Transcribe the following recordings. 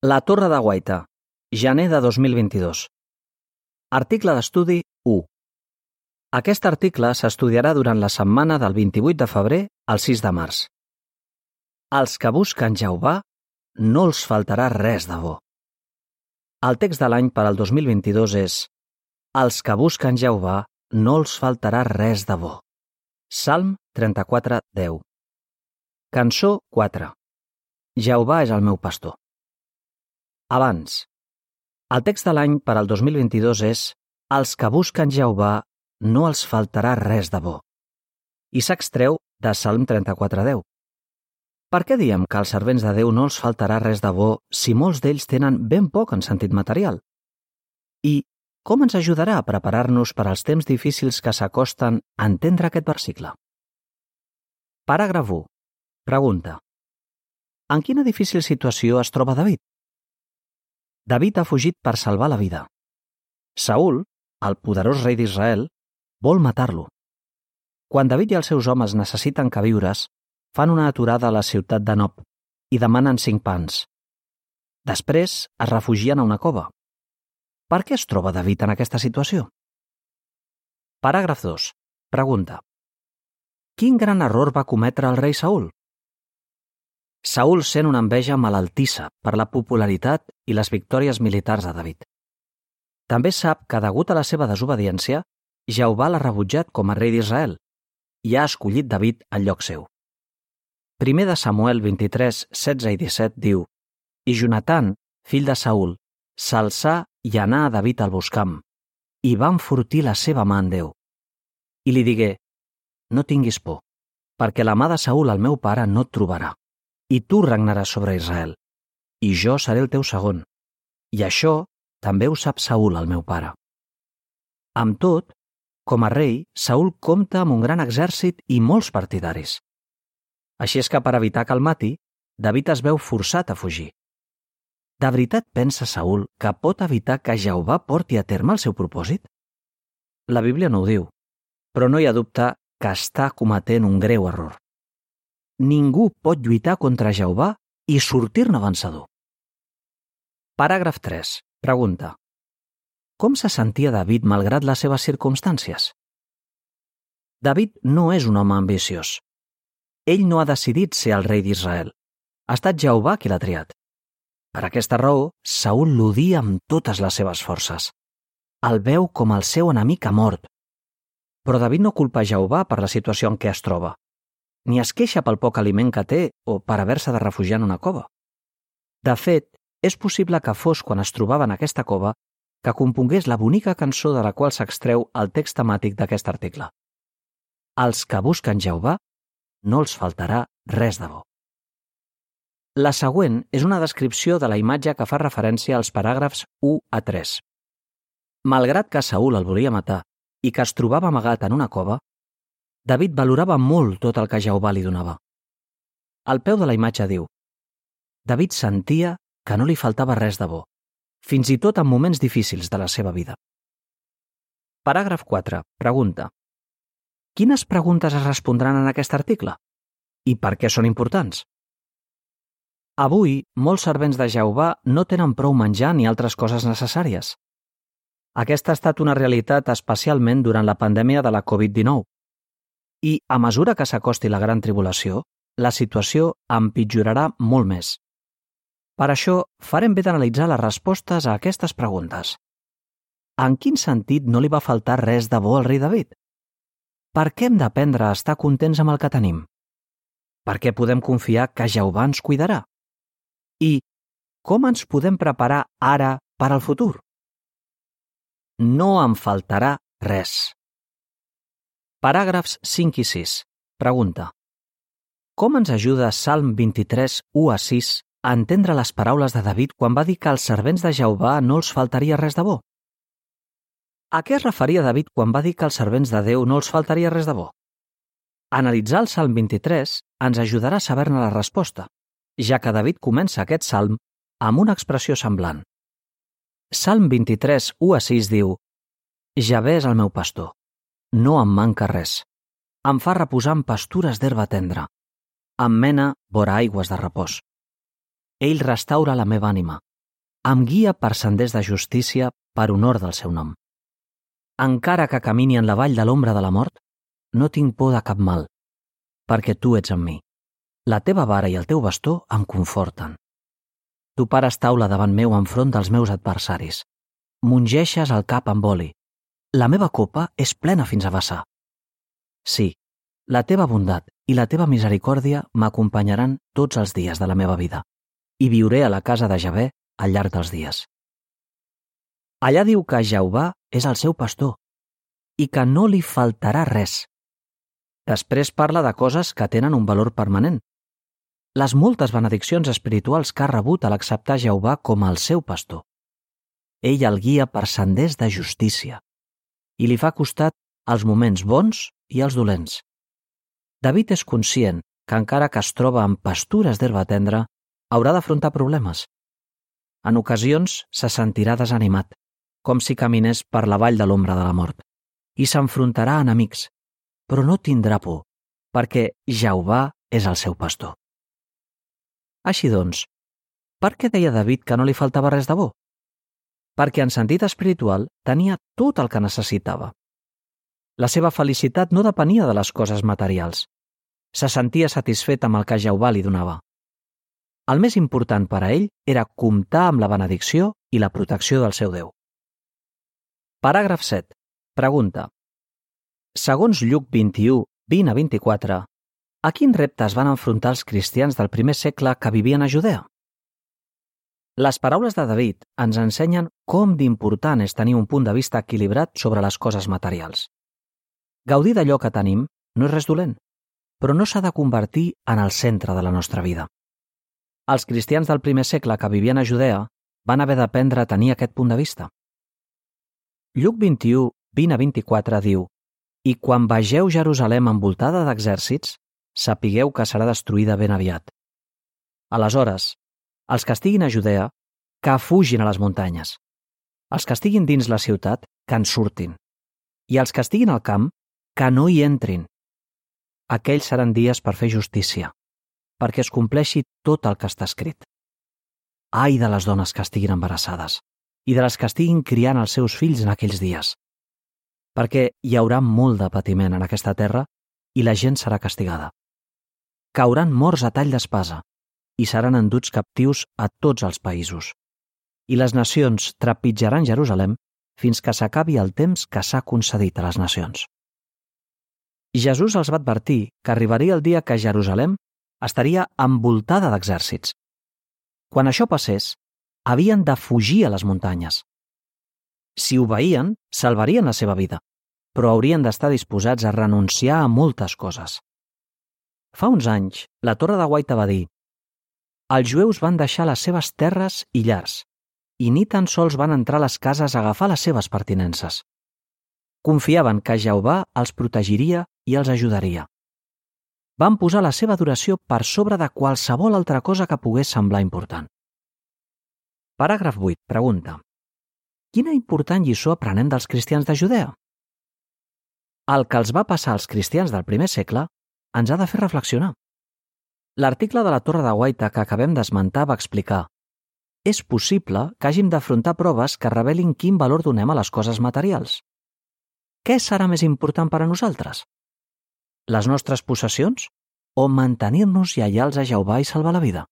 La Torre de Guaita, gener de 2022. Article d'estudi 1. Aquest article s'estudiarà durant la setmana del 28 de febrer al 6 de març. Als que busquen Jehovà no els faltarà res de bo. El text de l'any per al 2022 és: als que busquen Jehovà no els faltarà res de bo. Salm 34:10. Cançó 4. Jehovà és el meu pastor. Abans. El text de l'any per al 2022 és: als que busquen Jehovà no els faltarà res de bo. I s'extreu de Salm 34:10. Per què diem que als servents de Déu no els faltarà res de bo si molts d'ells tenen ben poc en sentit material? I com ens ajudarà a preparar-nos per als temps difícils que s'acosten a entendre aquest versicle? Paràgraf 1. Pregunta: en quina difícil situació es troba David? David ha fugit per salvar la vida. Saül, el poderós rei d'Israel, vol matar-lo. Quan David i els seus homes necessiten queviures, fan una aturada a la ciutat de Nob i demanen 5 pans. Després es refugien a una cova. Per què es troba David en aquesta situació? Paràgraf 2. Pregunta: quin gran error va cometre el rei Saül? Saül sent una enveja malaltissa per la popularitat i les victòries militars de David. També sap que, degut a la seva desobediència, Jehovà l'ha rebutjat com a rei d'Israel i ha escollit David al lloc seu. 1 de Samuel 23, 16 i 17 diu: i Jonatan, fill de Saül, s'alçà i anà a David al buscam, i va enfortir la seva mà en Déu. I li digué: no tinguis por, perquè la mà de Saül, el meu pare, no et trobarà, i tu regnaràs sobre Israel, i jo seré el teu segon. I això també ho sap Saül, el meu pare. Amb tot, com a rei, Saül compta amb un gran exèrcit i molts partidaris. Així és que per evitar que el mati, David es veu forçat a fugir. De veritat pensa Saül que pot evitar que Jehovà porti a terme el seu propòsit? La Bíblia no ho diu, però no hi ha dubte que està cometent un greu error. Ningú pot lluitar contra Jehovà i sortir-ne vencedor. Paràgraf 3. Pregunta: com se sentia David malgrat les seves circumstàncies? David no és un home ambiciós. Ell no ha decidit ser el rei d'Israel. Ha estat Jehovà qui l'ha triat. Per aquesta raó, Saül l'odia amb totes les seves forces. El veu com el seu enemic a mort. Però David no culpa Jehovà per la situació en què es troba, ni es queixa pel poc aliment que té o per haver-se de refugiar en una cova. De fet, és possible que fos quan es trobava en aquesta cova que compongués la bonica cançó de la qual s'extreu el text temàtic d'aquest article. Als que busquen Jehovà no els faltarà res de bo. La següent és una descripció de la imatge que fa referència als paràgrafs 1 a 3. Malgrat que Saül el volia matar i que es trobava amagat en una cova, David valorava molt tot el que Jehovà li donava. Al peu de la imatge diu: David sentia que no li faltava res de bo, fins i tot en moments difícils de la seva vida. Paràgraf 4. Pregunta: quines preguntes es respondran en aquest article? I per què són importants? Avui, molts servents de Jehovà no tenen prou menjar ni altres coses necessàries. Aquesta ha estat una realitat especialment durant la pandèmia de la Covid-19. I, a mesura que s'acosti la gran tribulació, la situació empitjorarà molt més. Per això, farem bé d'analitzar les respostes a aquestes preguntes. En quin sentit no li va faltar res de bo al rei David? Per què hem d'aprendre a estar contents amb el que tenim? Per què podem confiar que Jehovà ens cuidarà? I com ens podem preparar ara per al futur? No em faltarà res. Paràgrafs 5 i 6. Pregunta: com ens ajuda Salm 23, 1 a 6 a entendre les paraules de David quan va dir que als servents de Jehovà no els faltaria res de bo? A què es referia David quan va dir que als servents de Déu no els faltaria res de bo? Analitzar el Salm 23 ens ajudarà a saber-ne la resposta, ja que David comença aquest salm amb una expressió semblant. Salm 23, 1 a 6 diu: Javé és el meu pastor, no em manca res. Em fa reposar en pastures d'herba tendra. Em mena vora aigües de repòs. Ell restaura la meva ànima. em guia per senders de justícia per honor del seu nom. Encara que camini en la vall de l'ombra de la mort, no tinc por de cap mal, perquè tu ets amb mi. La teva vara i el teu bastó em conforten. Tu pares taula davant meu enfront dels meus adversaris. M'ungeixes el cap amb oli. La meva copa és plena fins a vessar. Sí, la teva bondat i la teva misericòrdia m'acompanyaran tots els dies de la meva vida i viuré a la casa de Javé al llarg dels dies. Allà diu que Jehovà és el seu pastor i que no li faltarà res. Després parla de coses que tenen un valor permanent. Les moltes benediccions espirituals que ha rebut a l'acceptar Jehovà com el seu pastor. Ell el guia per senders de justícia i li fa costat als moments bons i als dolents. David és conscient que encara que es troba en pastures d'herba tendra, haurà d'afrontar problemes. En ocasions se sentirà desanimat, com si caminés per la vall de l'ombra de la mort, i s'enfrontarà a enemics, però no tindrà por, perquè Jehovà és el seu pastor. Així doncs, per què deia David que no li faltava res de bo? Perquè en sentit espiritual tenia tot el que necessitava. La seva felicitat no depenia de les coses materials. Se sentia satisfet amb el que Jehovà li donava. El més important per a ell era comptar amb la benedicció i la protecció del seu Déu. Paràgraf 7. Pregunta. Segons Lluc 21, 20 a 24, a quins reptes van enfrontar els cristians del primer segle que vivien a Judea? Les paraules de David ens ensenyen com d'important és tenir un punt de vista equilibrat sobre les coses materials. Gaudir d'allò que tenim no és res dolent, però no s'ha de convertir en el centre de la nostra vida. Els cristians del primer segle que vivien a Judea van haver d'aprendre a tenir aquest punt de vista. Lluc 21, 20 a 24 diu: «I quan vegeu Jerusalem envoltada d'exèrcits, sapigueu que serà destruïda ben aviat. Aleshores, els que estiguin a Judea, que fugin a les muntanyes. Els que estiguin dins la ciutat, que en surtin. I els que estiguin al camp, que no hi entrin. Aquells seran dies per fer justícia, perquè es compleixi tot el que està escrit. Ai de les dones que estiguin embarassades i de les que estiguin criant els seus fills en aquells dies, perquè hi haurà molt de patiment en aquesta terra i la gent serà castigada. Cauran morts a tall d'espasa i seran enduts captius a tots els països. I les nacions trepitjaran Jerusalem fins que s'acabi el temps que s'ha concedit a les nacions. Jesús els va advertir que arribaria el dia que Jerusalem estaria envoltada d'exèrcits. Quan això passés, havien de fugir a les muntanyes. Si obeïen, salvarien la seva vida, però haurien d'estar disposats a renunciar a moltes coses. Fa uns anys, la Torre de Guaita va dir: «Els jueus van deixar les seves terres i llars, i ni tan sols van entrar a les cases a agafar les seves pertinences. Confiaven que Jehovà els protegiria i els ajudaria. Van posar la seva adoració per sobre de qualsevol altra cosa que pogués semblar important». Paràgraf 8. Pregunta. Quina important lliçó aprenem dels cristians de Judea? El que els va passar als cristians del primer segle ens ha de fer reflexionar. L'article de la Torre de Guaita que acabem d'esmentar va explicar: és possible que hàgim d'afrontar proves que revelin quin valor donem a les coses materials. Què serà més important per a nosaltres? Les nostres possessions o mantenir-nos lleials a Jehovà i salvar la vida?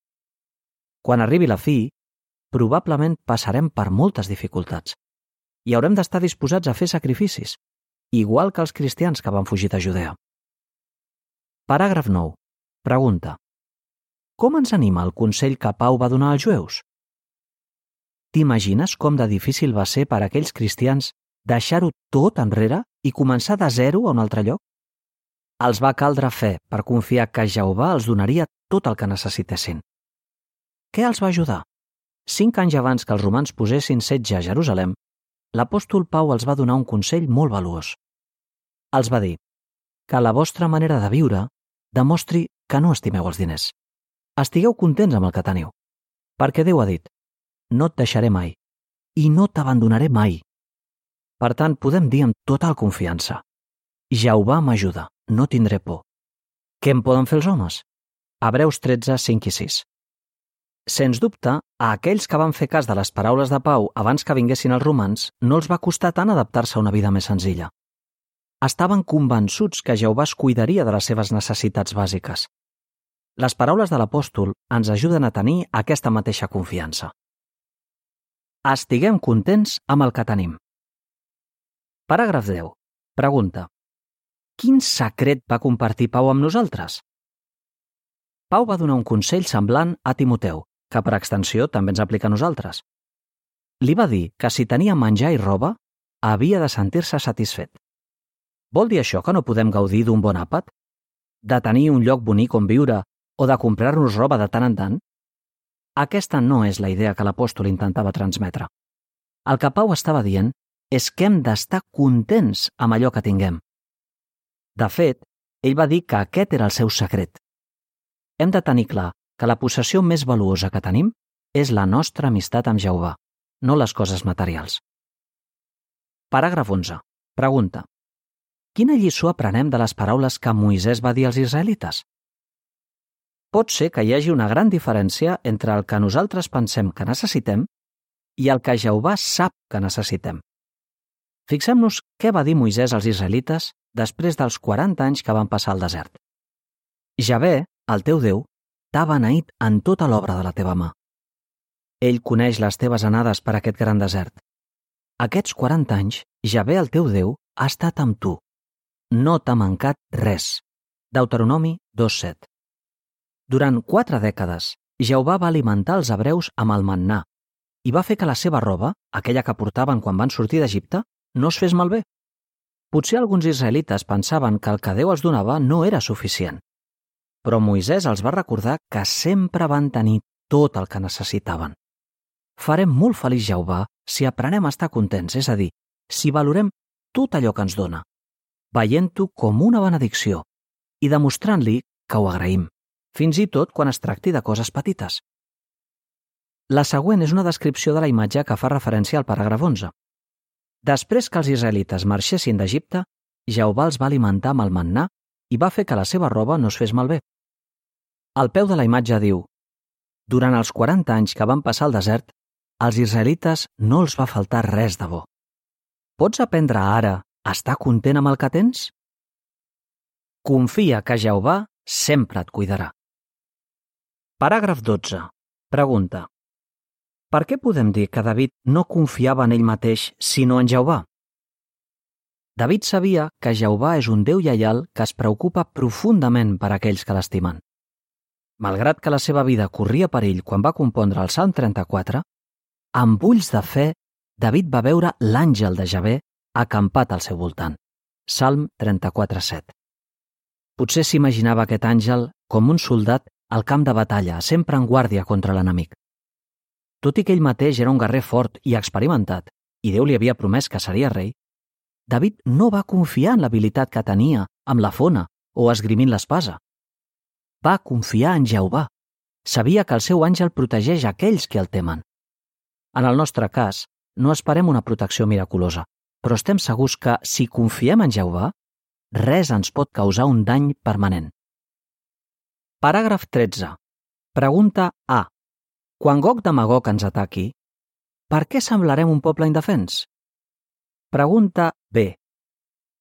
Quan arribi la fi, probablement passarem per moltes dificultats i haurem d'estar disposats a fer sacrificis, igual que els cristians que van fugir de Judea. Paràgraf 9. Pregunta. Com ens anima el consell que Pau va donar als jueus? T'imagines com de difícil va ser per a aquells cristians deixar-ho tot enrere i començar de zero a un altre lloc? Els va caldre fe per confiar que Jehovà els donaria tot el que necessitessin. Què els va ajudar? 5 anys abans que els romans posessin setge a Jerusalem, l'apòstol Pau els va donar un consell molt valuós. Els va dir que la vostra manera de viure demostri que no estimeu els diners. Estigueu contents amb el que teniu, perquè Déu ha dit: no et deixaré mai i no t'abandonaré mai. Per tant, podem dir amb total confiança: Jehovà m'ajuda, no tindré por. Què en poden fer els homes? Hebreus 13, 5 i 6. Sens dubte, a aquells que van fer cas de les paraules de Pau abans que vinguessin els romans, no els va costar tant adaptar-se a una vida més senzilla. Estaven convençuts que Jehovà es cuidaria de les seves necessitats bàsiques. Les paraules de l'apòstol ens ajuden a tenir aquesta mateixa confiança. Estiguem contents amb el que tenim. Paràgraf 10. Pregunta. Quin secret va compartir Pau amb nosaltres? Pau va donar un consell semblant a Timoteu, que per extensió també ens aplica a nosaltres. Li va dir que si tenia menjar i roba, havia de sentir-se satisfet. Vol dir això que no podem gaudir d'un bon àpat? De tenir un lloc bonic on viure o de comprar-nos roba de tant en tant? Aquesta no és la idea que l'apòstol intentava transmetre. El que Pau estava dient és que hem d'estar contents amb allò que tinguem. De fet, ell va dir que aquest era el seu secret. Hem de tenir clar que la possessió més valuosa que tenim és la nostra amistat amb Jehovà, no les coses materials. Paràgraf 11. Pregunta. Quina lliçó aprenem de les paraules que Moisès va dir als israelites? Pot ser que hi hagi una gran diferència entre el que nosaltres pensem que necessitem i el que Jehovà sap que necessitem. Fixem-nos què va dir Moisès als israelites després dels 40 anys que van passar al desert. Javé, el teu Déu, t'ha beneït en tota l'obra de la teva mà. Ell coneix les teves anades per aquest gran desert. Aquests 40 anys, Javé, el teu Déu, ha estat amb tu. No t'ha mancat res. Deuteronomi 2:7. Durant 4 dècades, Jehovà va alimentar els hebreus amb el mannà i va fer que la seva roba, aquella que portaven quan van sortir d'Egipte, no es fes malbé. Potser alguns israelites pensaven que el que Déu els donava no era suficient. Però Moisès els va recordar que sempre van tenir tot el que necessitaven. Farem molt feliç Jehovà si aprenem a estar contents, és a dir, si valorem tot allò que ens dona, veient-ho com una benedicció i demostrant-li que ho agraïm, fins i tot quan es tracti de coses petites. La següent és una descripció de la imatge que fa referència al paràgraf 11. Després que els israelites marxessin d'Egipte, Jehovà els va alimentar amb el mannà i va fer que la seva roba no es fes malbé. Al peu de la imatge diu: durant els 40 anys que van passar al desert, als israelites no els va faltar res de bo. Pots aprendre ara a estar content amb el que tens? Confia que Jehovà sempre et cuidarà. Paràgraf 12. Pregunta. Per què podem dir que David no confiava en ell mateix, sinó en Jehovà? David sabia que Jehovà és un Déu lleial que es preocupa profundament per aquells que l'estimen. Malgrat que la seva vida corria perill quan va compondre el Salm 34, amb ulls de fe, David va veure l'àngel de Javé acampat al seu voltant. Salm 34:7. Potser s'imaginava aquest àngel com un soldat al camp de batalla, sempre en guàrdia contra l'enemic. Tot i que ell mateix era un guerrer fort i experimentat, i Déu li havia promès que seria rei, David no va confiar en l'habilitat que tenia amb la fona o esgrimint l'espasa. Va confiar en Jehovà. Sabia que el seu àngel protegeix aquells que el temen. En el nostre cas, no esperem una protecció miraculosa, però estem segurs que, si confiem en Jehovà, res ens pot causar un dany permanent. Paràgraf 13. Pregunta A. Quan Gog de Magog ens ataqui, per què semblarem un poble indefens? Pregunta B.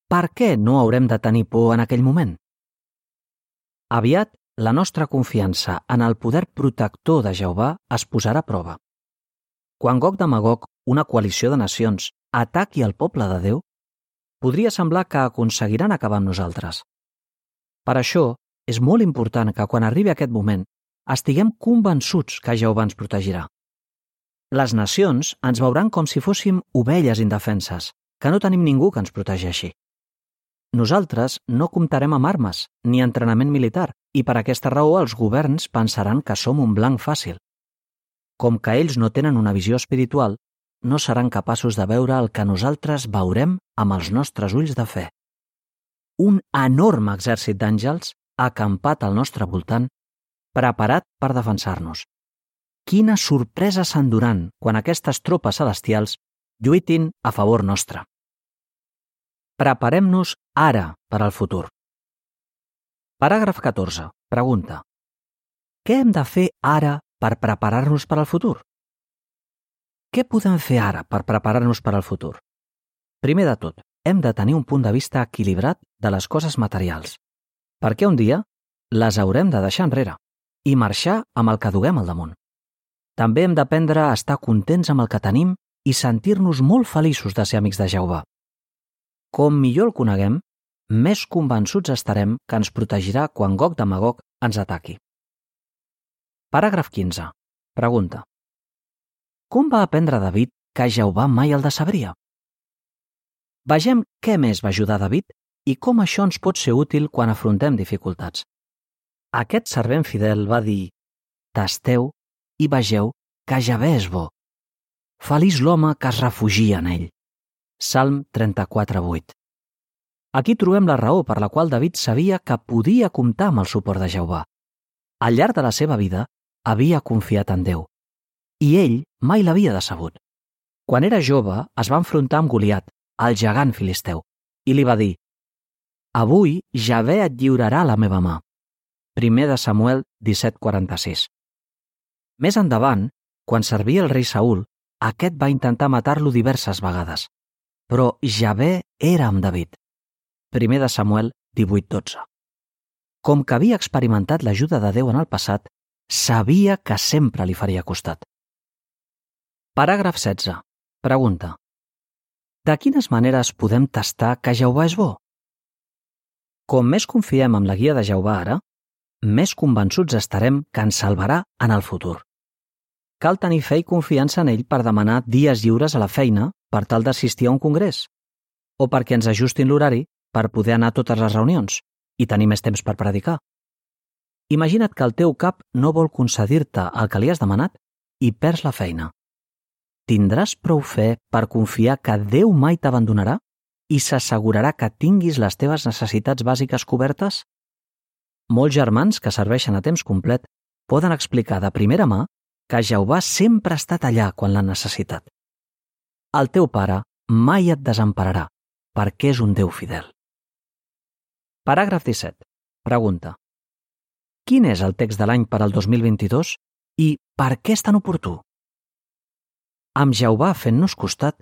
Per què no haurem de tenir por en aquell moment? Aviat, la nostra confiança en el poder protector de Jehovà es posarà a prova. Quan Gog de Magog, una coalició de nacions, ataqui el poble de Déu, podria semblar que aconseguiran acabar amb nosaltres. Per això, és molt important que quan arribi aquest moment estiguem convençuts que Jehovà ens protegirà. Les nacions ens veuran com si fóssim ovelles indefenses, que no tenim ningú que ens protegeixi. Nosaltres no comptarem amb armes ni entrenament militar i per aquesta raó els governs pensaran que som un blanc fàcil. Com que ells no tenen una visió espiritual, no seran capaços de veure el que nosaltres veurem amb els nostres ulls de fe. Un enorme exèrcit d'àngels acampat al nostre voltant, preparat per defensar-nos. Quina sorpresa s'enduran quan aquestes tropes celestials lluitin a favor nostre. Preparem-nos ara per al futur. Paràgraf 14. Pregunta. Què hem de fer ara per preparar-nos per al futur? Què podem fer ara per preparar-nos per al futur? Primer de tot, hem de tenir un punt de vista equilibrat de les coses materials, perquè un dia les haurem de deixar enrere i marxar amb el que duguem al damunt. També hem d'aprendre a estar contents amb el que tenim i sentir-nos molt feliços de ser amics de Jehovà. Com millor el coneguem, més convençuts estarem que ens protegirà quan Gog de Magog ens ataqui. Paràgraf 15. Pregunta. Com va aprendre David que Jehovà mai el decebria? Vegem què més va ajudar David i com això ens pot ser útil quan afrontem dificultats. Aquest servent fidel va dir: «Tasteu i vegeu que Javé és bo. Feliç l'home que es refugia en ell». Salm 34:8. Aquí trobem la raó per la qual David sabia que podia comptar amb el suport de Jehovà. Al llarg de la seva vida havia confiat en Déu, i ell mai l'havia decebut. Quan era jove es va enfrontar amb Goliat, el gegant filisteu, i li va dir: «Avui Javé et lliurarà a la meva mà». 1 de Samuel 17:46. Més endavant, quan servia el rei Saül, aquest va intentar matar-lo diverses vegades, però Javé era amb David. 1 de Samuel 18:12. Com que havia experimentat l'ajuda de Déu en el passat, sabia que sempre li faria costat. Paràgraf 16. Pregunta. De quines maneres podem tastar que Jehovà és bo? Com més confiem en la guia de Jehovà ara, més convençuts estarem que ens salvarà en el futur. Cal tenir fe i confiança en ell per demanar dies lliures a la feina per tal d'assistir a un congrés, o perquè ens ajustin l'horari per poder anar a totes les reunions i tenir més temps per predicar. Imagina't que el teu cap no vol concedir-te el que li has demanat i perds la feina. Tindràs prou fe per confiar que Déu mai t'abandonarà i s'assegurarà que tinguis les teves necessitats bàsiques cobertes? Molts germans que serveixen a temps complet poden explicar de primera mà que Jehovà sempre ha estat allà quan l'han necessitat. El teu pare mai et desempararà, perquè és un Déu fidel. Paràgraf 17. Pregunta. Quin és el text de l'any per al 2022 i per què és tan oportú? Amb Jehovà fent-nos costat,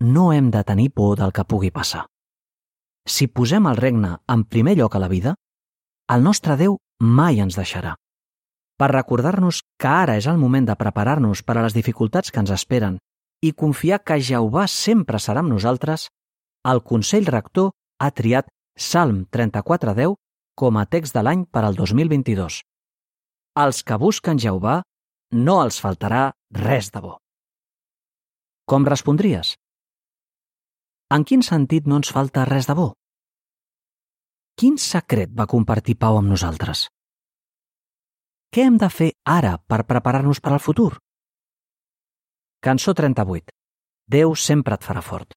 no hem de tenir por del que pugui passar. Si posem el regne en primer lloc a la vida, el nostre Déu mai ens deixarà. Per recordar-nos que ara és el moment de preparar-nos per a les dificultats que ens esperen i confiar que Jehovà sempre serà amb nosaltres, el Consell Rector ha triat Salm 34:10 com a text de l'any per al 2022. Als que busquen Jehovà no els faltarà res de bo. Com respondries? En quin sentit no ens falta res de bo? Quin secret va compartir Pau amb nosaltres? Què hem de fer ara per preparar-nos per al futur? Cançó 38. Déu sempre et farà fort.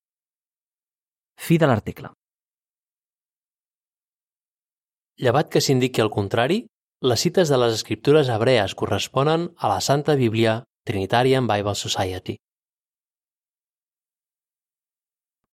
Fi de l'article. Llevat que s'indiqui el contrari, les cites de les escriptures hebrees corresponen a la Santa Bíblia Trinitarian Bible Society.